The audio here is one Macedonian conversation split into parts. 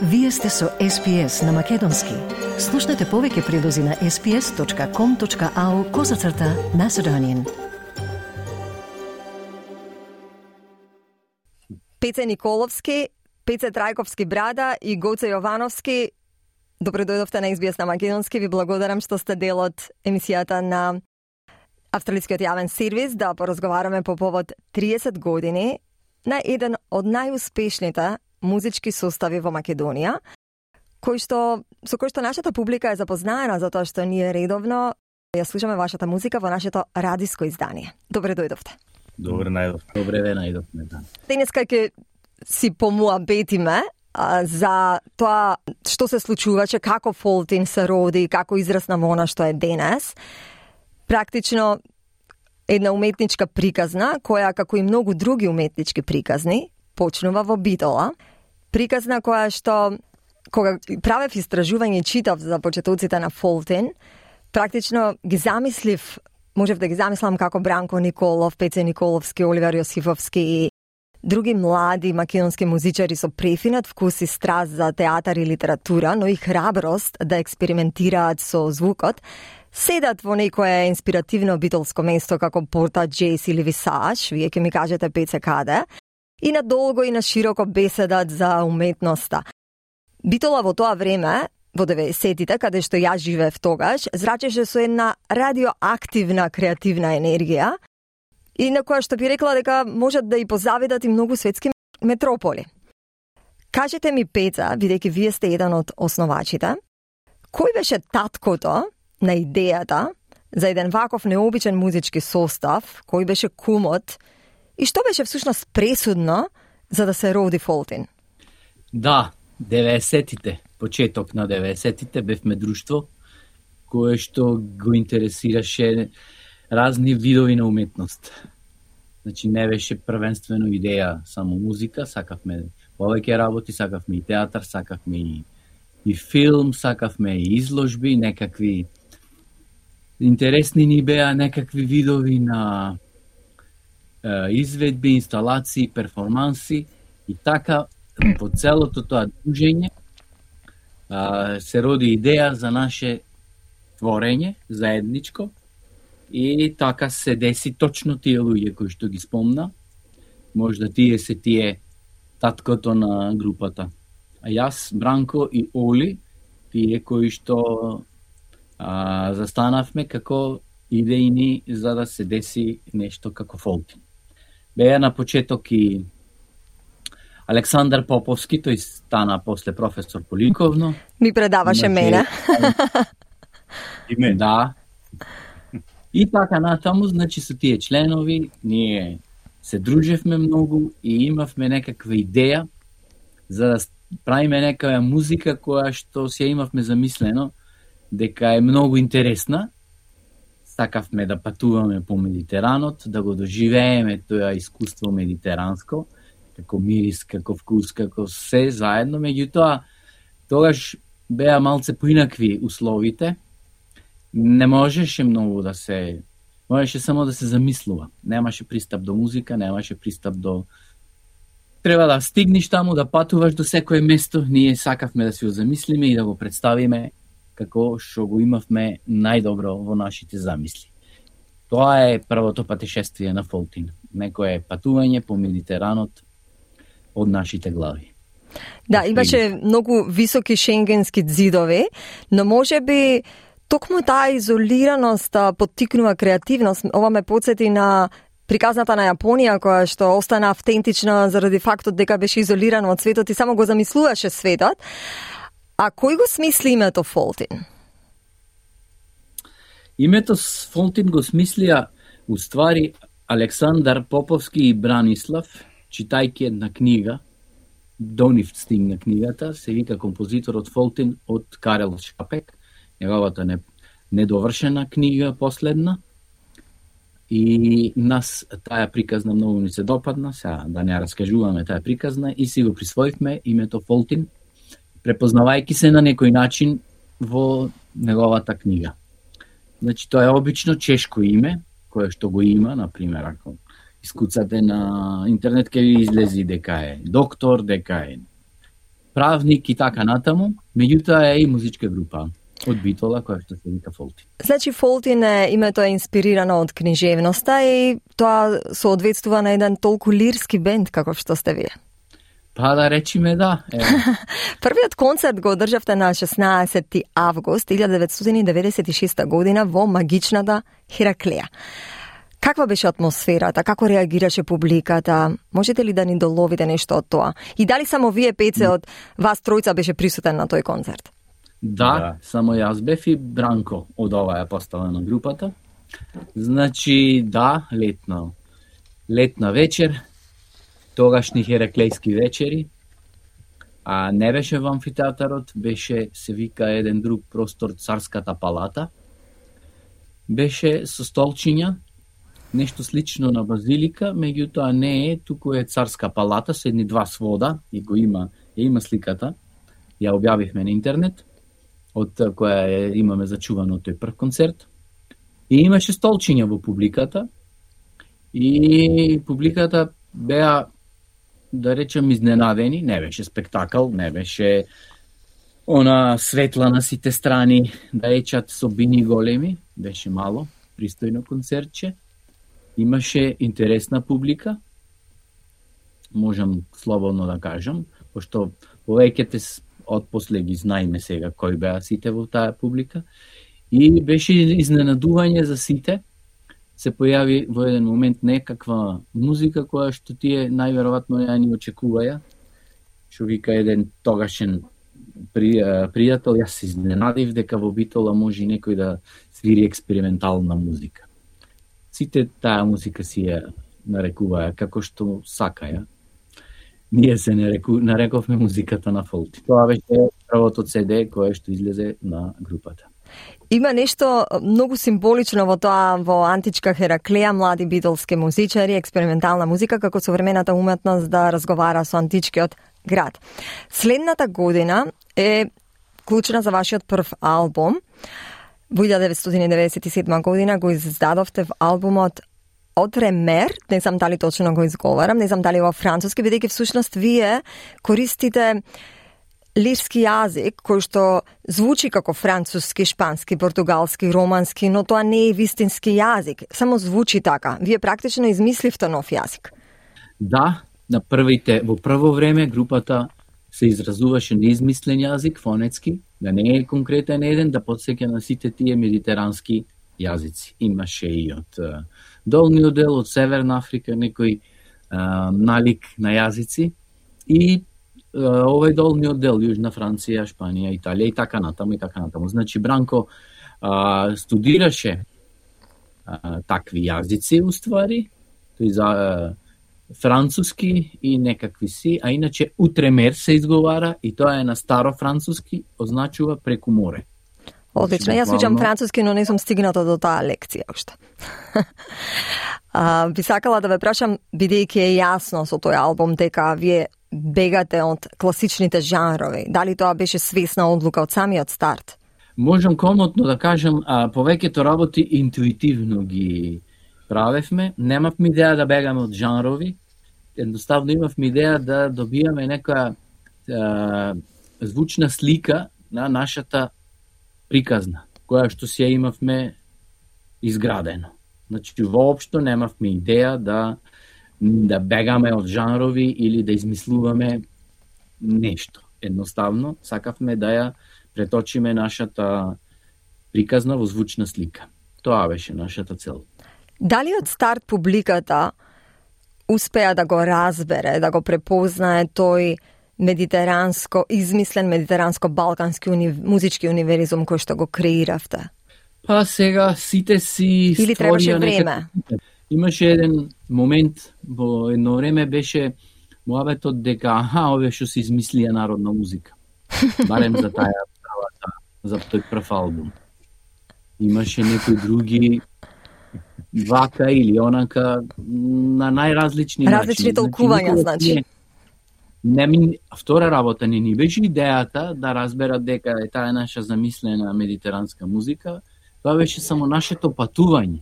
Вие сте со SPS на Македонски. Слушнете повеќе прилози на sps.com.au/Macedonian. Пеце Николовски, Пеце Трајковски брада и Гоце Јовановски, добро дојдовте на SBS на Македонски. Ви благодарам што сте дел од емисијата на Австралискиот јавен сервис да поразговараме по повод 30 години на еден од најуспешните музички состави во Македонија, со кој што нашата публика е запознаена затоа што ние редовно ја слушаме вашата музика во нашето радиско издание. Добре дојдовте. Добре најдовме. Да. Денеска ќе си помуабетиме за тоа што се случуваше, како Фолтин се роди, како израсна во она што е денес. Практично една уметничка приказна, која, како и многу други уметнички приказни, почнува во Битола. Приказна која што, кога правев истражување и читав за почетоците на Фолтин, практично ги замислив, можев да ги замислам како Бранко Николов, Пеце Николовски, Оливер Јосифовски и други млади македонски музичари со префинат вкус и страст за театар и литература, но и храброст да експериментираат со звукот, седат во некое инспиративно битолско место како Порта Джейс или Висаж, вие ќе ми кажете Пеце каде, и надолго и на широко беседат за уметноста. Битола во тоа време, во 90-тите, каде што ја живеев тогаш, зрачеше со една радиоактивна креативна енергија и на која што би рекла дека можат да и позавидат и многу светски метрополи. Кажете ми, Пеца, бидејќи вие сте еден од основачите, кој беше таткото на идејата за еден ваков необичен музички состав, кој беше кумот и што беше всушност пресудно за да се роди Фолтин? Да, 90-тите, почеток на 90-тите бевме друштво кое што го интересираше разни видови на уметност. Значи не беше првенствено идеја само музика, сакавме повеќе работи, сакавме и театар, сакавме и филм, сакавме и изложби, некакви интересни ни беа некакви видови на изведби, инсталации, перформанси и така по целото тоа дружење се роди идеја за наше творење заедничко и така се деси точно тие луѓе кои што ги спомна. Можда тие се тие таткото на групата. А јас, Бранко и Оли, тие кои што застанавме како идејни за да се деси нешто како Фолтин. Беа на почеток и Александар Поповски, тој стана после професор по ликовно. Ми предаваше мене. И мене. Да. И така натаму, значи со тие членови, ние се дружевме многу и имавме некаква идеја за да правиме некава музика која што си ја имавме замислено дека е многу интересна. Сакавме да патуваме по Медитеранот, да го доживееме тоа искуство медитеранско, како мирис, како вкус, како се заедно. Меѓутоа, тогаш беа малце поинакви условите. Не можеше многу да се... Можеше само да се замислува. Немаше пристап до музика, немаше пристап до... Треба да стигнеш таму, да патуваш до секое место. Ние сакавме да си го замислиме и да го представиме како што го имавме најдобро во нашите замисли. Тоа е првото патешествие на Фолтин. Некое патување по Медитеранот од нашите глави. Да, имаше многу високи шенгенски ѕидови, но можеби токму таа изолираност поттикнува креативност. Ова ме потсети на приказната на Јапонија, која што остана автентична заради фактот дека беше изолирана од светот и само го замислуваше светот. А кој го смисли името Фолтин? Името Фолтин го смислија уствари Александар Поповски и Бранислав, читајќи една книга, до нив стигна книгата, се вика композиторот Фолтин од Карел Шапек, неговата недовршена книга последна. И нас таа приказна многу ни се допадна, сега да не раскажуваме таа приказна и си го присвоивме името Фолтин, препознавајќи се на некој начин во неговата книга. Значи, тоа е обично чешко име, кое што го има, например, ако искуцате на интернет, ќе ви излези дека е доктор, дека е правник и така натаму, меѓутоа е и музичка група од Битола која што се вика Фолтин. Значи Фолтин името е инспирирано од книжевноста и тоа соодветствува на еден толку лирски бенд како што сте вие. Па да речиме да. Првиот концерт го одржавте на 16 август 1996 година во магичната Хераклеја. Каква беше атмосферата? Како реагираше публиката? Можете ли да ни доловите нешто од тоа? И дали само вие петце од вас тројца беше присутен на тој концерт? Да, само јас бев и Бранко од оваа постава на групата. Значи, да, летна вечер, тогашни хераклејски вечери, а не беше во амфитеатарот, беше, се вика, еден друг простор, Царската палата. Беше со столчиња, нешто слично на базилика, меѓутоа не е, туку е Царска палата, со едни два свода, и го има сликата, ја објавивме на интернет, од која имаме зачувано тој прв концерт. И имаше столчиња во публиката, и публиката беа, да речем, изненадени, не беше спектакл, не беше она светла на сите страни, да речат со бини големи, беше мало, пристојно концертче. Имаше интересна публика, можам слободно да кажам, пошто повеќето отпосле ги знаеме сега кои беа сите во таа публика. И беше изненадување за сите. Се појави во еден момент некаква музика која што тие најверојатно ја ни очекуваја. Што вика еден тогашен пријател, јас се изненадив дека во Битола може некој да свири експериментална музика. Сите таа музика си ја нарекуваја како што сакаја. Ние се нарековме музиката на Фолтин. Тоа беше првото CD кое што излезе на групата. Има нешто многу символично во тоа, во античка Хераклеја, млади битолски музичари, експериментална музика како современата уметност да разговара со античкиот град. Следната година е клучна за вашиот прв албум. Во 1997 година го издадовте в албумот Отремер, не знам дали точно го изговарам, не знам дали во француски, бидејќи всушност вие користите лирски јазик кој што звучи како француски, шпански, португалски, романски, но тоа не е вистински јазик, само звучи така. Вие практично измисливте нов јазик. Да, во прво време групата се изразуваше неизмислен јазик, фонетски, да не е конкретен еден, да потсеќа на сите тие медитерански јазици. Имаше и од долниот дел, од Северна Африка, некој налик на јазици и овој долниот дел, Јужна Франција, Шпанија, Италија и така натаму и така натаму. Значи Бранко студираше такви јазици уствари, тој за француски и некакви си, а иначе Утремер се изговара и тоа е на старо француски, означува преку море. Одлично, јас учам француски, но не сум стигната до таа лекција уште. Би сакала да ве прашам, бидејќи е јасно со тој албум дека вие бегате од класичните жанрови, дали тоа беше свесна одлука од самиот старт? Можам комотно да кажам, повеќето работи интуитивно ги правевме, немавме идеја да бегаме од жанрови, едноставно имавме идеја да добијаме некоја звучна слика на нашата приказна, која што си ја имавме изградено. Значи, воопшто немавме идеја да бегаме од жанрови или да измислуваме нешто. Едноставно, сакавме да ја преточиме нашата приказна во звучна слика. Тоа беше нашата цел. Дали од старт публиката успеа да го разбере, да го препознае тој измислен медитеранско-балкански музички универизум кој што го креиравте? Па сега сите си или требаше време? Имаше еден момент, во едно време беше муабетот дека овие што се измислија народна музика. Барем за за тој прв албум. Имаше некои други вака или онака на најразлични начини. Различни толкувања, значи. Втора работа не ни беше идејата да разберат дека е таа наша замислена медитеранска музика, тоа беше само нашето патување.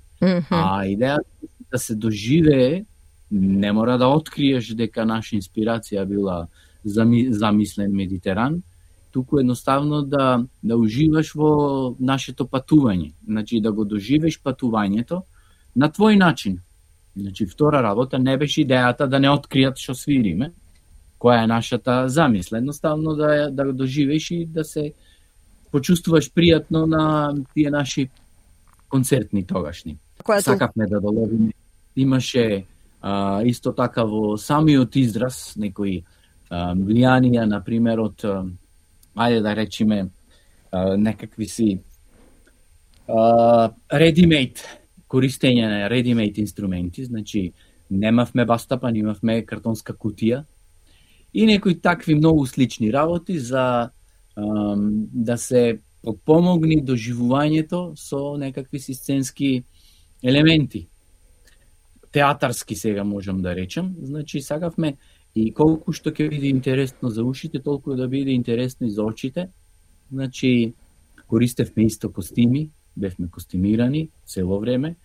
А идејата да се доживее, не мора да откриеш дека наша инспирација била замислен Медитеран, туку едноставно да уживаш во нашето патување. Значи да го доживеш патувањето на твој начин. Значи втора работа не беше идејата да не откријат што свириме, која е нашата замисла. Едноставно да го доживеш и да се почувствуваш пријатно на тие наши концертни тогашни. Сакавме да доловиме. Имаше исто така во самиот израз некои влијанија, например, од ајде да речеме некакви си ready-made, користење на ready-made инструменти, значи немавме бастапан, имавме картонска кутија и некои такви многу слични работи за да се помогни доживувањето со некакви си сценски елементи. Театарски сега можам да речем, значи сакавме и колку што ќе биде интересно за ушите, толку да биде интересно и за очите. Значи користевме исто костими, бевме костимирани цело време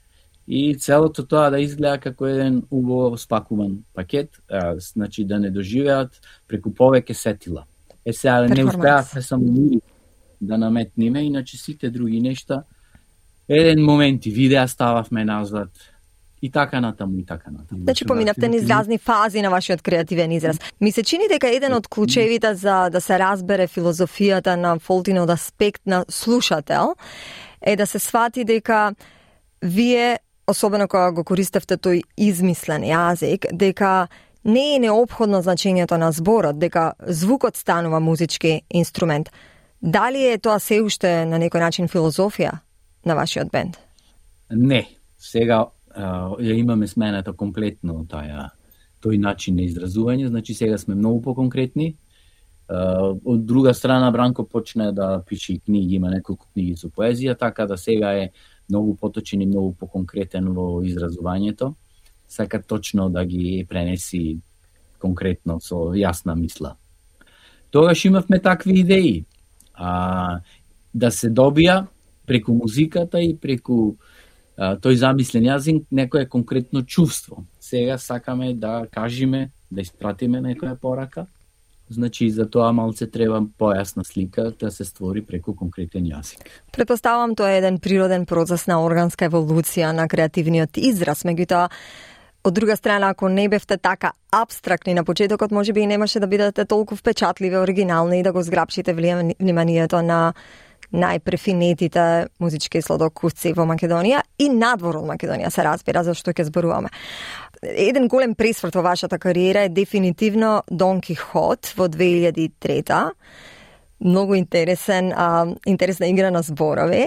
и целото тоа да изгледа како еден убаво спакуван пакет, значи да не доживеат преку повеќе сетила. Сега не успеавме само мири да наметниме, иначе сите други нешта, еден момент и видеа стававме назад, и така натаму, и така натаму. Значи поминавте низ разни фази на вашиот креативен израз. Ми се чини дека еден од клучевите за да се разбере филозофијата на Фолтинов аспект на слушател е да се свати дека вие, особено кога го користевте тој измислен јазик, дека не е неопходно значењето на зборот, дека звукот станува музички инструмент. Дали е тоа се уште на некој начин филозофија на вашиот бенд? Не. Сега ја имаме смената комплетно тој начин на изразување, значи сега сме многу поконкретни. Од друга страна Бранко почна да пише книги, има неколку книги со поезија, така да сега е многу поточен и многу поконкретен во изразувањето. Сака точно да ги пренеси конкретно со јасна мисла. Тогаш имавме такви идеи да се добија преку музиката и преку тој замислен јазик некое конкретно чувство. Сега сакаме да кажеме, да испратиме некоја порака. Значи за тоа малце треба појасна слика да се створи преку конкретен јазик. Претпоставам тоа е еден природен процес на органска еволуција на креативниот израз, меѓутоа од друга страна, ако не бевте така абстрактни на почетокот, можеби и немаше да бидете толку впечатливи, оригинални и да го зграпшите вниманието на најпрефинетите музички сладокусци во Македонија и надвор од Македонија, се разбира, зашто ќе зборуваме. Еден голем пресврт во вашата кариера е дефинитивно Дон Кихот во 2003. Многу интересна игра на зборови.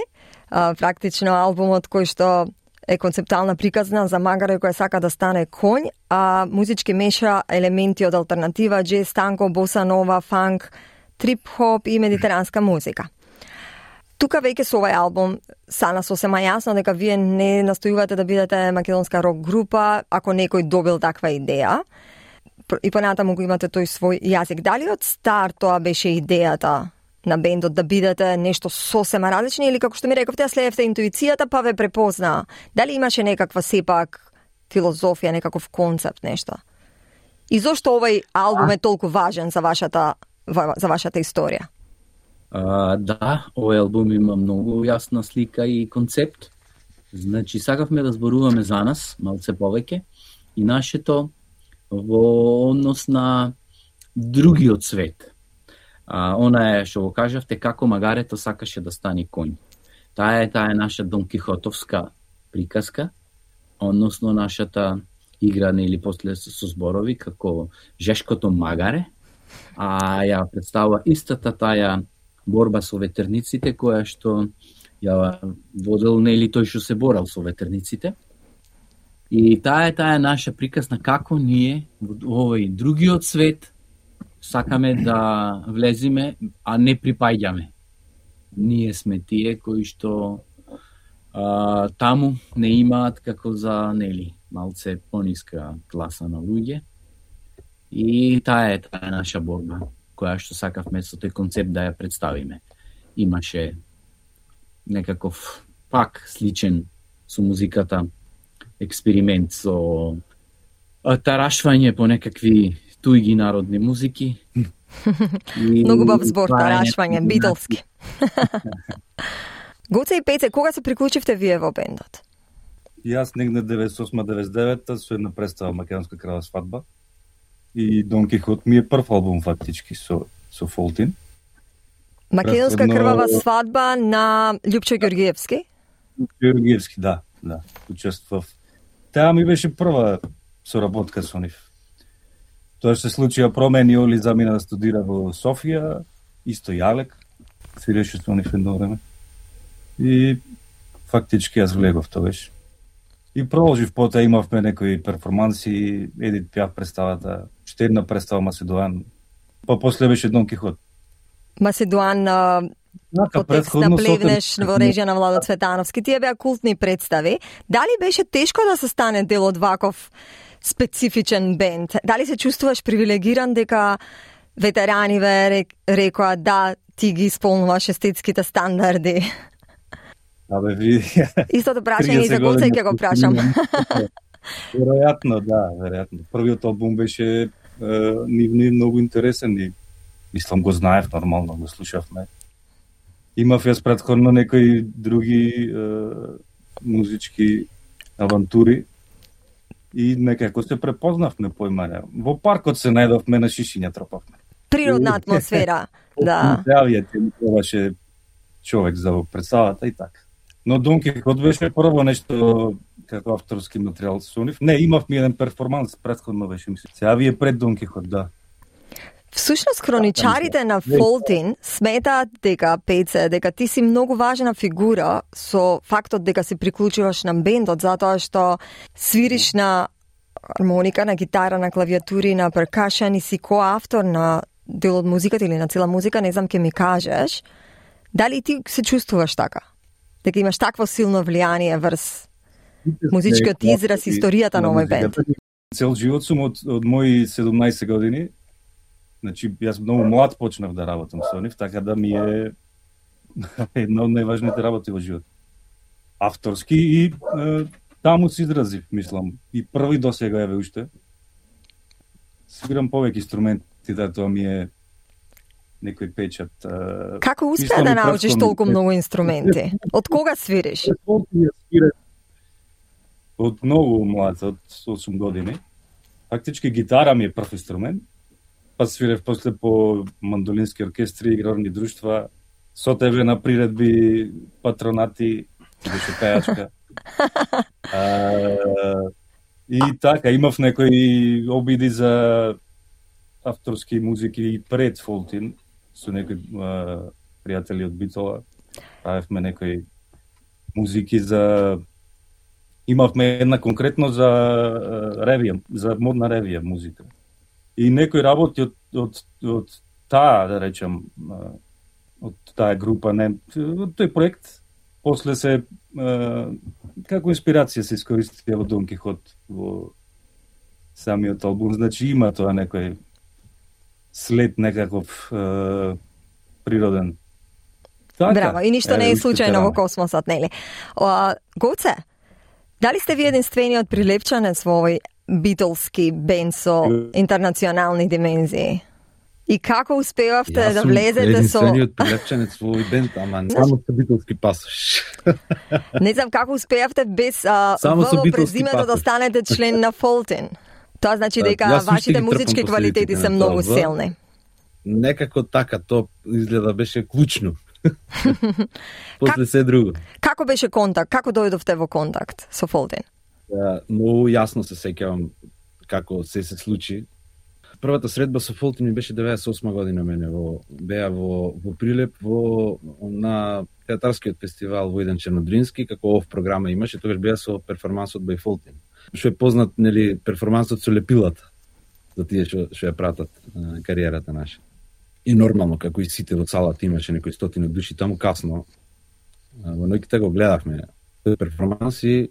Практично албумот кој што е концептуална приказна за магаре која сака да стане конј, а музички меша елементи од алтернатива, джез, танго, боса нова, фанк, трип-хоп и медитеранска музика. Тука веќе со овај албум стана сосема јасно дека вие не настојувате да бидете македонска рок група, ако некој добил таква идеја. И понатаму го имате тој свој јазик. Дали од старт тоа беше идејата на бендот да бидете нешто сосема различно или како што ми рековте, следевте интуицијата па ве препозна? Дали имаше некаква сепак филозофија, некаков концепт, нешто? И зошто овај албум е толку важен за вашата историја? Да, овој албум има многу јасна слика и концепт. Значи, сакавме да зборуваме за нас, малце повеќе, и нашето во однос на другиот свет. Она е, што го кажавте, како магарето сакаше да стане конј. Таа е наша Дон Кихотовска приказка, односно нашата игра или после со зборови, како жешкото магаре, ја представува истата таја борба со ветерниците, која што ја водел или тој што се борал со ветерниците. И таа е наша приказна како ние во овој другиот свет сакаме да влеземе, а не припаѓаме. Ние сме тие кои што таму не имаат како за малце пониска класа на луѓе. И таа е наша борба, која што сакавме со тој концепт да ја представиме. Имаше некаков пак сличен со музиката експеримент со тарашвање по некакви туѓи народни музики. Многу бав збор, тарашвање, битолски. Гоце и Пеце, кога се приклучивте вие во бендот? Јас негде 98-99 со една представа Македонска крава свадба. И Дон Кихот ми е прв албум фактички со Фолтин. Македонска крвава свадба на Љупчо Ѓоргиевски? Ѓоргиевски, да. Учествував. Таа ми беше прва соработка со нив. Тоа се случија промени, Оли замина да студира во Софија, исто Јалек, свиреше со нив едно време. И фактички јас влегов тоа беше. И продолжив, потоа имавме некои перформанси, Едит Пиаф представата, уште една представа Macedоан, па после беше Дон Кихот. Macedоан по текст на Плевнеш во режија на Владо Цветановски. Тие беа култни представи. Дали беше тешко да се стане дел од ваков специфичен бенд? Дали се чувствуваш привилегиран дека ветерани ве рекоа да ти ги исполнуваш естетските стандарди? Абе, види. Истото прашање и за Гоце ќе го прашам. Веројатно, да, веројатно. Првиот албум беше ни многу интересен и мислам го знаев нормално, го слушавме. Имав јас претходно некои други музички авантури и некако се препознавме поимање. Во паркот се најдовме, на шишиња тропавме. Природна атмосфера, да. Јавијате ми требаше човек за представата и така. Но Дон Кихот беше прво нешто како авторски материјал со нив. Не, имав ми еден перформанс, претходно беше мислам. Сега вие пред Дон Кихот, да. Всушност, хроничарите на Фолтин сметаат дека, Пеце, дека ти си многу важна фигура со фактот дека се приклучуваш на бендот, затоа што свириш на армоника, на гитара, на клавиатури, на перкашен и си коавтор на дел од музиката или на цела музика, не знам ке ми кажеш. Дали ти се чувствуваш така? Дека имаш такво силно влијание врз музичкиот израз, историјата на овој бенд? Цел живот сум од мои 17 години. Значи, јас многу млад почнав да работам со нив, така да ми е една од најважните работи во живот. Авторски и таму се изразив, мислам. И први досега еве уште. Свирам повеќе инструменти, да тоа ми е некој печат. Како успеа да научиш толку многу инструменти? Од кога свириш? Од многу млад, од 8 години. Фактички гитара ми е прв инструмент. Па свирев после по мандолински оркестри, играрни друштва, со тебе на приредби, патронати, беше пејачка. И така, имав некои обиди за авторски музики и пред Фолтин, со некои пријатели од Битола. Правевме некои музики за... Имавме една конкретно за ревија, за модна ревија музика. И некои работи од таа, да речем, од таа група, не, од тој проект, после се, како инспирација се искористија во Дон Кихот, во самиот албум, значи има тоа некој след некаков природен. Така, браво, и ништо не е случајно во космосот, нели? Гоце, дали сте ви единствениот прилепчанец во овој битолски бенд со интернационални димензии? И како успевавте да влезете со... Јас сум единствениот прилепчанец во овој бенд, ама само со битолски пасош. Не знам како успеавте без ВВ презимето да станете член на Фолтин. Тоа значи дека вашите музички квалитети се многу силни. Некако така, тоа изгледа беше клучно. После се друго. Како беше контакт? Како дојдовте во контакт со Фолтин? Многу јасно се сеќавам како се случи. Првата средба со Фолтин ми беше 98 година мене беа во Прилеп на театарскиот фестивал во Војдан Чернодрински, како ов програма имаше, тогаш беа со перформансот by Фолтин. Што е познат, нели, перформансот со лепилата за тие што ја пратат кариерата наша. И нормално, како и сите во салата имаше некои стотини души таму касно. Во ноќите го гледавме тој перформанс и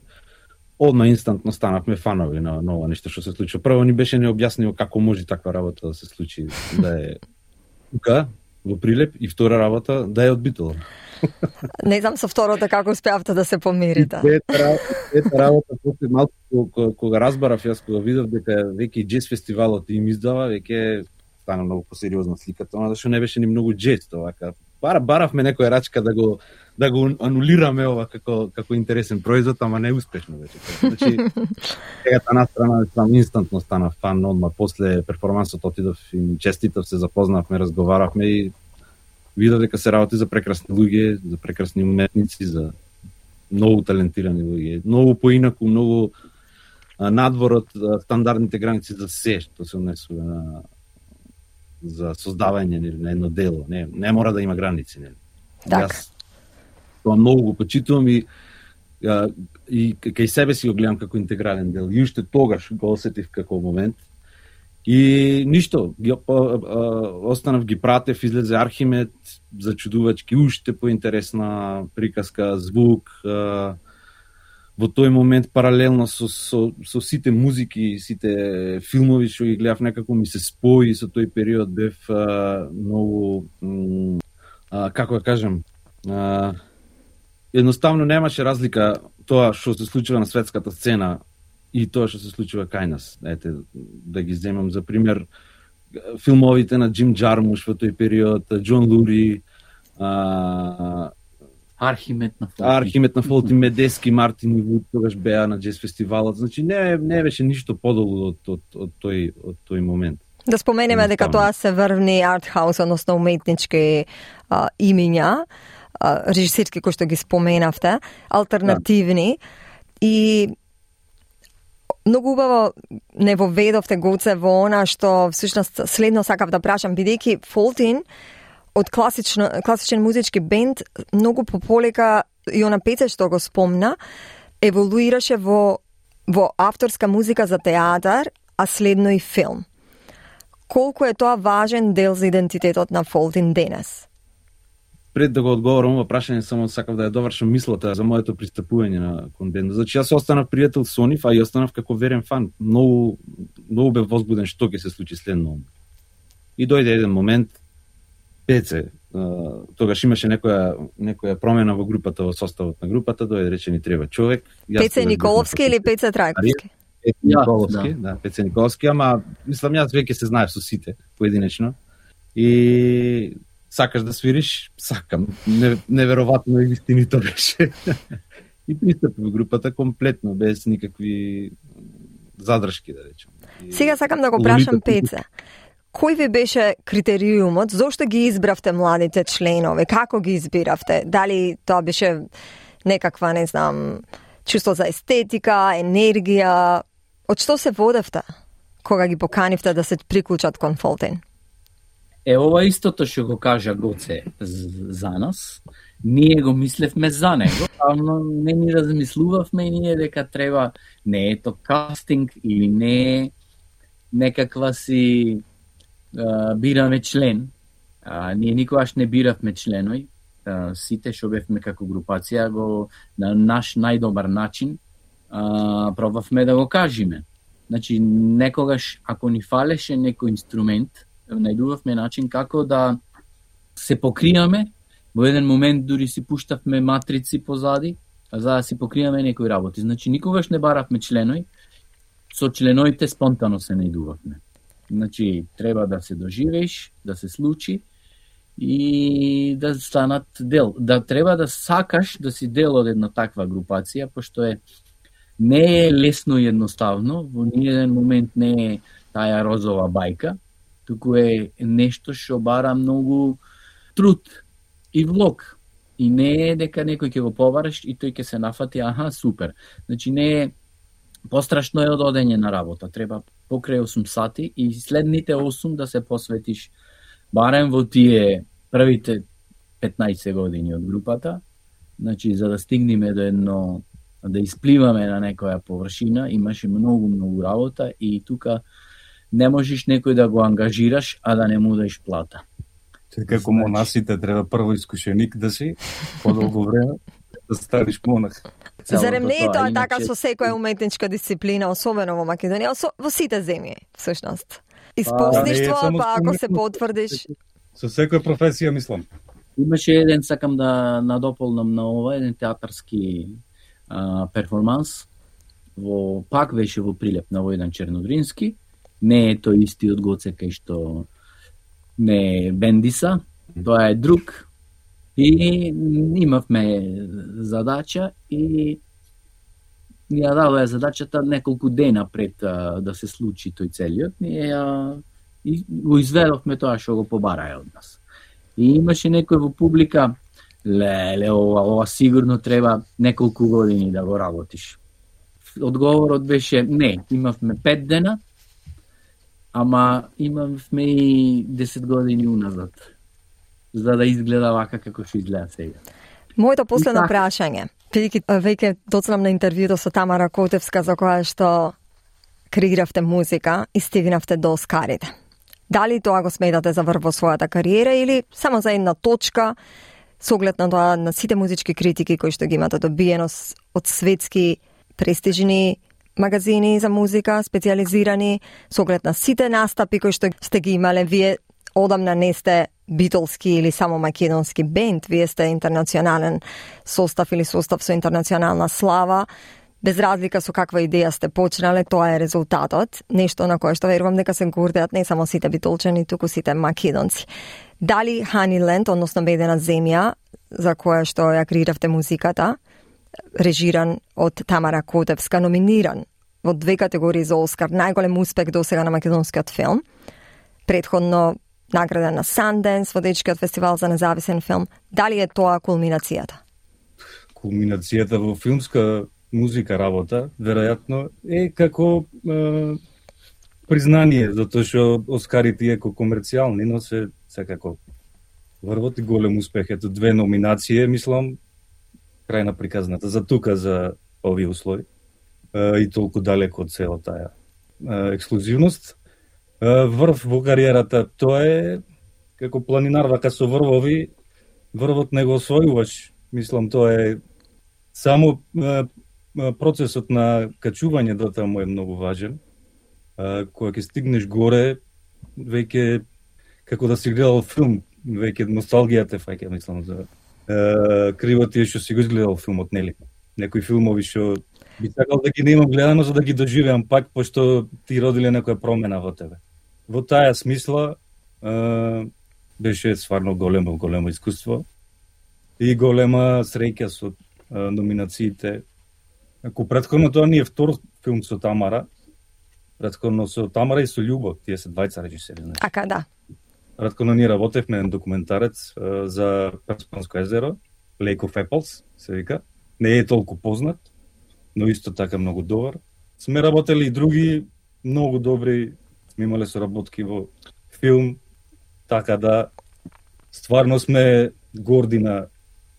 одма инстантно станавме фанови на ова нешто што се случи. Прво ни беше необјаснимо како може таква работа да се случи, да е тука, во Прилеп и втора работа да е од Битола. Не знам со второто како успеавте да се помирите. Трета работа, после малку кога разбарав, јас кога видов дека веќе џез фестивалот им издава, веќе стана многу посериозна сликата, она зашто не беше ни многу џез тоа. Баравме некоја рачка да го анулираме ова како интересен производ, ама не успешно веќе. Значи, сега таа страна инстантно стана фан, одма после перформансот отидов и честитав, се запознавме, разговаравме и видов дека се работи за прекрасни луѓе, за прекрасни уметници, за многу талентирани луѓе, многу поинаку, многу надвор од стандардните граници за се што се однесува за создавање на едно дело. Не мора да има граници. Јас тоа многу го почитувам и кај себе си го гледам како интегрален дел. И уште тогаш го осетив како момент. И ништо, останав ги пратев, излезе Архимед, зачудувачки, уште поинтересна приказка, звук. Во тој момент паралелно со сите музики, сите филмови што ги гледав, некако ми се спои со тој период, бев многу, како да кажем, едноставно немаше разлика тоа што се случува на светската сцена и тоа што се случува кај нас. Ете, да ги земам за пример филмовите на Джим Джармуш во тој период, Џон Лури, Архимед на Фолтин, Медески, Мартин и Вуд тогаш беа на џез фестивалот. Значи не беше ништо подолу од тој момент. Да споменеме дека тоа се врвни артхаус, односно уметнички имиња, режисерски кои што ги споменавте, алтернативни и многу убаво не воведовте Гоце во она што всушност следно сакав да прашам, бидејќи Фолтин од класичен музички бенд многу пополека и она пеце што го спомна еволуираше во авторска музика за театар, а следно и филм. Колку е тоа важен дел за идентитетот на Фолтин денес? Пред да го одговорам ова прашање, само сакав да ја довршам мислата за моето пристапување кон бендот. Значи јас останав пријател со нив, а и останав како верен фан. Многу бев возбуден што ќе се случи следно. И дојде еден момент, Пеце, тогаш имаше некоја промена во групата, во составот на групата, дојде рече ни треба човек. Пеце Николовски или Пеце Трајковски? Пеце Николовски, да, Пеце Николовски, ама мислам јас веќе се знаев со сите поединечно. И сакаш да свириш, сакам. Неверојатно и вистинито беше. И пристапи во групата комплетно, без никакви задршки, да речем. Сега сакам да го прашам Пеце. Кој ви беше критериумот? Зошто ги избравте младите членови? Како ги избиравте? Дали тоа беше некаква, не знам, чувство за естетика, енергија? Од што се водевте кога ги поканивте да се приклучат кон Фолтин? Ова истото што го кажа Гоце за нас, ние го мислевме за него, но не ни размислувавме ние дека треба, не е то кастинг или не е некаква си бираме член. Ние никогаш не биравме членови. Сите што бевме како групација го на наш најдобар начин пробавме да го кажеме. Значи некогаш ако ни фалеше некој инструмент, најдувавме начин како да се покриеме. Во еден момент дури си пуштавме матрици позади, за да си покриеме некои работи. Значи никогаш не баравме членови. Со членовите спонтано се најдувавме. Значи, треба да се доживееш, да се случи и да станат дел. Да треба да сакаш да си дел од една таква групација, пошто не е лесно и едноставно, во ниеден момент не е таа розова бајка, туку е нешто што бара многу труд и влог. И не е дека некој ќе го побараш и тој ќе се нафати, супер. Значи не е пострашно е од одење на работа. Треба покрај 8 сати и следните 8 да се посветиш барем во тие првите 15 години од групата. Значи, за да стигнеме до едно, да испливаме на некоја површина, имаше многу работа и тука не можеш некој да го ангажираш, а да не му даеш плата. Како монасите треба прво искушеник да си, подолго време да станеш монах. Зарем не е тоа така со секоја уметничка дисциплина, особено во Македонија, во сите земји, всушност. Испосничство, па ако се потврдиш... Со секоја професија, мислам. Имаше еден, сакам да надополнам на ова, еден театарски перформанс, пак беше во Прилеп на Војдан Чернодрински. Не е тој истиот Гоце кај што не е Бендиса, тоа е друг. И имавме задача и ја дадоа задачата неколку дена пред да се случи тој целиот. И го изведовме тоа што го побараја од нас. И имаше некој во публика, ова сигурно треба неколку години да го работиш. Одговорот беше не, имавме 5 дена, ама имавме и 10 години уназад, за да изгледа вака како што изгледа сега. Моето последно прашање, бидејќи веќе доцнам на интервјуто со Тамара Котевска за која што креиравте музика и стигнавте до Оскарите. Дали тоа го сметате за врв во својата кариера или само за една точка, со оглед на тоа на сите музички критики кои што ги имате добиено од светски престижни магазини за музика, специализирани, со оглед на сите настапи кои што сте ги имале, вие одамна не сте битолски или само македонски бенд, вие сте интернационален состав или состав со интернационална слава. Без разлика со каква идеја сте почнале, тоа е резултатот, нешто на кое што верувам дека се гордеат не само сите битолчани, туку сите македонци. Дали Honeyland, односно Бедена земја, за која што ја креиравте музиката, режиран од Тамара Котевска, номиниран во 2 категории за Оскар, најголем успех досега на македонскиот филм, предходно награден на Sundance, водечкиот фестивал за независен филм. Дали е тоа кулминацијата? Кулминацијата во филмска музика работа, веројатно, е како признание, затоа што Оскарите иако комерцијални, но се секако врвот и голем успех. Ето 2 номинации, мислам, крај на приказната, за тука, за овие услови, и толку далеко од цела таа ексклузивност. Врв во кариерата, тоа е како планинар, вака со врвови, врвот не го освојуваш. Мислам, тоа е само процесот на качување до таму е многу важен. Кога ќе стигнеш горе, веќе како да си гледал филм, веќе носталгијата фаќа, мислам, за криво тие што си го изгледал филмот, нели? Некои филмови што би сакал да ги немам гледано за да ги доживеам пак, пошто ти родиле некоја промена во тебе. Во таа смисла беше стварно големо искуство и голема среќа со номинациите. Ако претходно тоа ни е втор филм со Тамара, претходно со Тамара и со Љубо, тие се двајца режисери. Ака, да. Претходно ние работевме еден документарец за Перспанско езеро, Lake of Apples, се вика. Не е толку познат, но исто така многу добар. Сме работели и други многу добри, сме имале соработки во филм, така да стварно сме горди на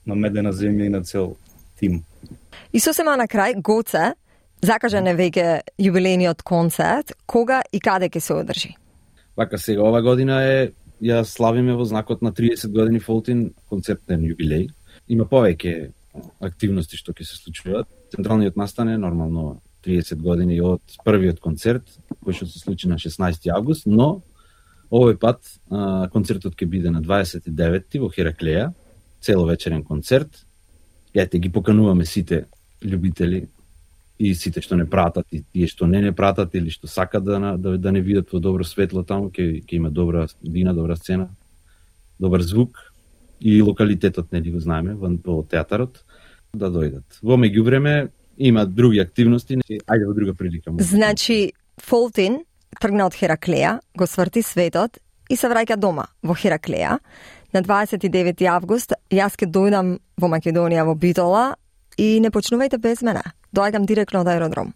Медена земја и на цел тим. И сосема на крај, Гоце, закажан е веќе јубилејниот концерт, кога и каде ќе се одржи? Вака сега, ова година ја славиме во знакот на 30 години Фолтин концертен јубилеј. Има повеќе активности што ќе се случуваат. Централниот настан е нормално 30 години од првиот концерт, кој што се случи на 16 август, но овој пат концертот ќе биде на 29 во Хераклеја, целовечерен концерт. Ете, ги покануваме сите љубители и сите што не пратат и тие што не пратат или што сакат да не видат во добро светло таму, ќе има добра дина, добра сцена, добар звук и локалитетот не го знаеме во театарот, да дојдат. Во меѓувреме има други активности, ајде во друга прилика. Значи, Фолтин тргна од Хераклеја, го сврти светот и се враќа дома во Хераклеја. На 29 август јас ќе дојдам во Македонија во Битола и не почнувајте без мене. Доаѓам директно од аеродром.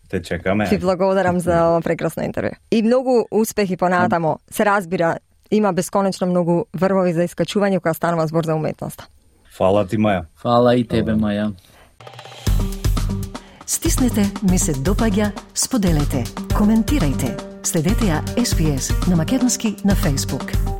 Те чекаме. Ти благодарам за ова прекрасно интервју. И многу успехи понатамо. Се разбира, има бесконечно многу врвови за искачување кога станува збор за уметноста. Фала ти, Маја. Фала и тебе, Маја. Стиснете, ми се допаѓа, споделете, коментирајте. Следете ја SPS на македонски на Facebook.